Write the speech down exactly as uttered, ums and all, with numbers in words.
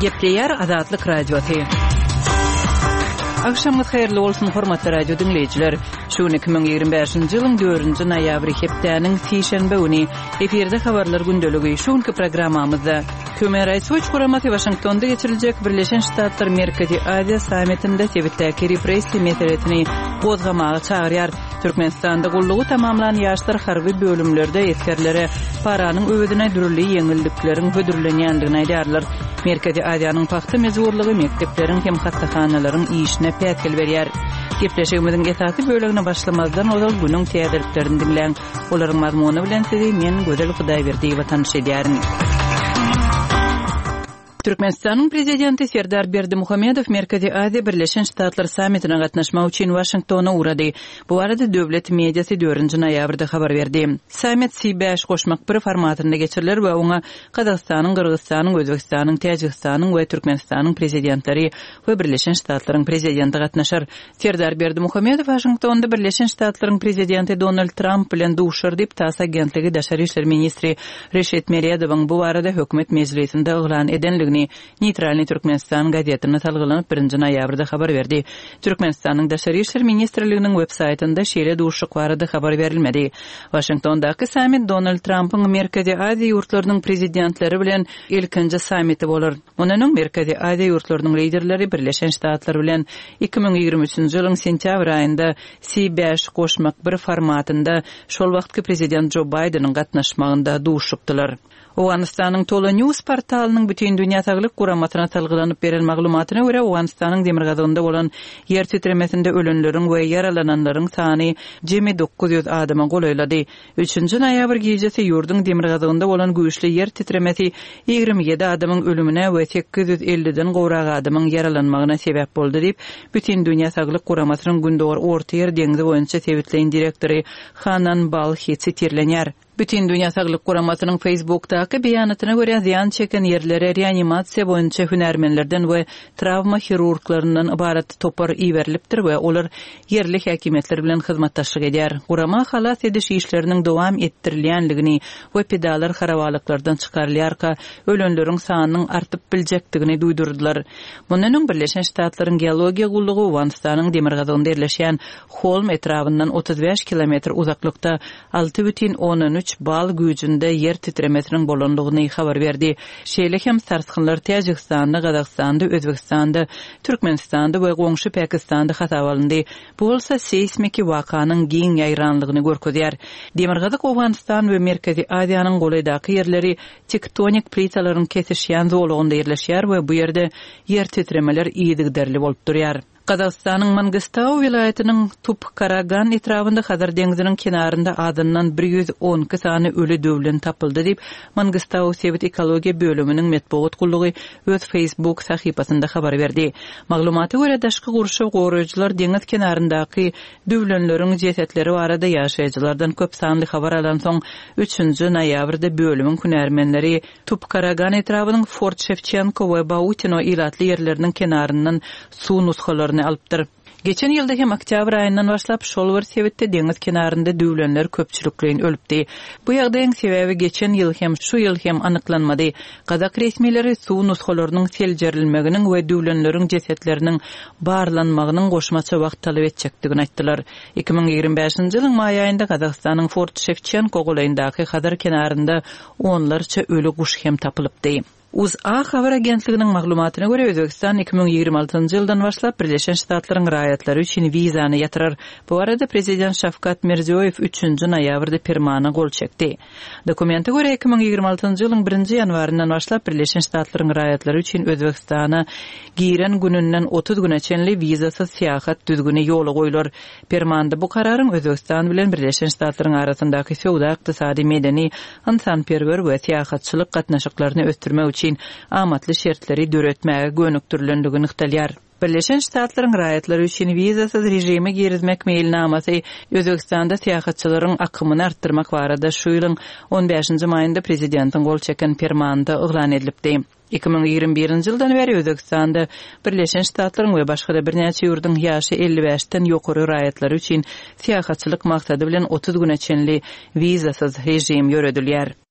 Gepleýär Azatlyk Radiosy. Agşamyňyz haýyrly bolsun, hormatly radio diňleýjiler. Şu gün iki müň ýigrimi bäşinji ýylyň dördünji noýabry hepdäniň sişenbe güni. Efirde habarlar gündeligi. Şu günki programmamyzda Human Rights Watch guramasy Waşingtonda geçiriljek Birleşen Ştatlar Merkezi Aziýa sammitinde sebitdäki repressiýa meselesini gozgamaga çagyrýar. Türkmenistanda gullugy tamamlan ýaşlar harby bölümlerde esgerlere paranyň öwezine dürli ýeňillikleriň hödürlenýändigini aýdýarlar. Merkezi Aziýanyň pagta mejburlygy mekdepleriň hem hassahanalaryň işine päsgel berýär. Gepleşigimiziň esasy bölegine başlamazdan ozal günüň täzeliklerini diňläň. Olaryň mazmuny bilen sizi men Gözel Hudaýberdiýewa tanyş edýärin. Türkmenistanyň Prezidenti Serdar Berdimuhamedow Merkezi Aziýa Birleşen Ştatlar sammitine gatnaşmak üçin Waşingtona ugrady. Bu barada döwlet mediasy dördünji noýabrda habar berdi. Sammit C bäş goşmak bir formatynda geçiriler we oňa Gazagystanyň, Gyrgyzystanyň, Özbegistanyň, Täjigistanyň we Türkmenistanyň prezidentleri we Birleşen Ştatlaryň prezidenti gatnaşar. Serdar Berdimuhamedow Waşingtonda Birleşen Ştatlaryň prezidenti Donald Tramp bilen duşar diýip, TASS agentligi daşary işler ministri Reşit Meredowyň bu barada hökümet mejlisinde yglan edenligini Neýtralnyý Türkmenistan gazetine salgylanyp birinji noýabrda habar berdi. Türkmenistanyň Daşary işler ministrliginiň web saýtynda şeýle duşuşyk barada habar berilmedi. Waşingtondaky sammit Donald Trampyň Merkezi Aziýa ýurtlarynyň prezidentleri bilen ilkinji sammiti bolar. Mundan öň Merkezi Aziýa ýurtlarynyň liderleri Birleşen Ştatlar bilen iki müň ýigrimi üçünji ýylyň sentýabr aýynda C bäş goşmak bir formatynda şol wagtky prezident Jo Baýdeniň gatnaşmagynda duşupdylar. Owganystanyň Tolo News portalynyň Bütindünýä Saglyk Guramasyna salgylanyp beren maglumatyna görä, Owganystanyň demirgazygynda bolan ýer titremesinde ölenleriň we ýaralananlaryň sany jemi dokuz ýüz adama golaýlady. Üçünji noýabr gijesi ýurduň demirgazygynda bolan güýçli ýer titremesi ýigrimi ýedi adamyň ölümine we sekiz ýüz elliden gowrak adamyň ýaralanmagyna sebäp boldy diýip, Bütindünýä Saglyk Guramasynyň Gündogar Ortaýer deňzi boýunça sebitleýin direktory Hanan Balhi sitirlenýär. Bütindünýä Saglyk Guramasynyň Facebookdaky beýanatyna görä, zyýan çeken ýerlere reanimasiýa boýunça hünärmenlerden we trawma hirurglaryndan ybarat topar iberilipdir we olar ýerli häkimiýetler bilen hyzmatdaşlyk edýär. Gurama halas ediş işleriniň dowam etdirilýänligini we pidalar harabalyklardan çykarylýarka ölenleriň sanynyň artyp biljekdigini duýdurdylar. Mundan öň Birleşen Ştatlaryň geologiýa gullugy Owganystanyň demirgazygynda ýerleşýän Holm etrabyndan otuz bäş kilometr uzaklykda alty bütin ondan üç bal güýjünde ýer titremesiniň bolandygyny habar berdi. Şeýle hem sarsgynlar Täjigistanda, Gazagystanda, Özbegistanda, Türkmenistanda we goňşy Pakistanda hasap alyndy. Bu bolsa seýsmiki wakanyň giň ýaýranlygyny görkezýär. Demirgazyk Owganystan we Merkezi Aziýanyň golaýdaky ýerleri tektonik plitalaryň kesişýän zolagynda ýerleşýär we bu ýerde ýer titremeler yzygiderli bolup durýar. Gazagystanyň Mangistau welaýatynyň Tupkaragan etrabynda Hazar deňziniň kenarynda azyndan bir ýüz on iki sany öli döwlen tapyldy diýip, Mangistau sebit ekologiýa bölüminiň metbugat gullugy öz Facebook sahypasynda habar berdi. Maglumata görä, daşky gurşaw goraýjylar deňiz kenaryndaky döwlenleriň jesetleri barada ýaşaýjylardan köp sanly habar alan soň üçünji noýabrda bölümiň hünärmenleri Tupkaragan etrabynyň Fort Şewçenko we Bautino ilatly ýerleriniň kenaryndan suw nusgalaryny alypdyr. Geçen ýylda hem oktýabr aýyndan başlap şol bir sebitde deňiz kenarynda döwlenler köpçülikleýin ölüpdi. Bu ýagdaýyň sebäbi geçen ýyl hem şu ýyl hem anyklanmady. Gazak resmileri suw nusgalarynyň seljerilmeginiň we döwlenleriň jesetleriniň barlanmagynyň goşmaça wagt talap etjekdigini aýtdylar. Iki müň ýigrimi bäşinji ýylyň maý aýynda Gazagystanyň Fort Şewçenko golaýyndaky Hazar kenarynda onlarça öli guş hem tapylypdy. U Z A habar agentliginiň maglumatyna görä, Özbegistan iki müň ýigrimi altynjy ýyldan başlap Birleşen Ştatlaryň raýatlary üçin wizany ýatyrar. Bu arada prezident Şawkat Mirziýoýew üçünji noýabrda permana gol çekdi. Dokumente görä, iki müň ýigrimi altynjy ýylyň birinji ýanwaryndan başlap Birleşen Ştatlaryň raýatlary üçin Özbegistana giren gününden otuz güne çenli wizasyz syýahat düzgüni ýola goýular. Permanda bu kararyň Özbegistan bilen Birleşen Ştatlaryň arasyndaky söwda, ykdysady, medeni, ynsanperwer we syýahatçylyk gatnaşyklaryny ösdürmek üçin amatly şertleri döretmäge gönükdirilenligi nygtalýar. Birleşen Ştatlaryň raýatlary üçin wizasyz režimi girizmek meýilnamasy Özbegistanda syýahatçylaryň akymyny artdyrmak barada şu ýylyň on bäşinji maýynda prezidentiň gol çeken permanynda yglan edilipdi. Iki müň ýigrimi birinji ýyldan bäri Özbegistanda Birleşen Ştatlaryň we başga-da birnäçe ýurduň ýaşy elli bäşden ýokary raýatlary üçin syýahatçylyk maksady bilen otuz güne çenli wizasyz režim ýöredilýär.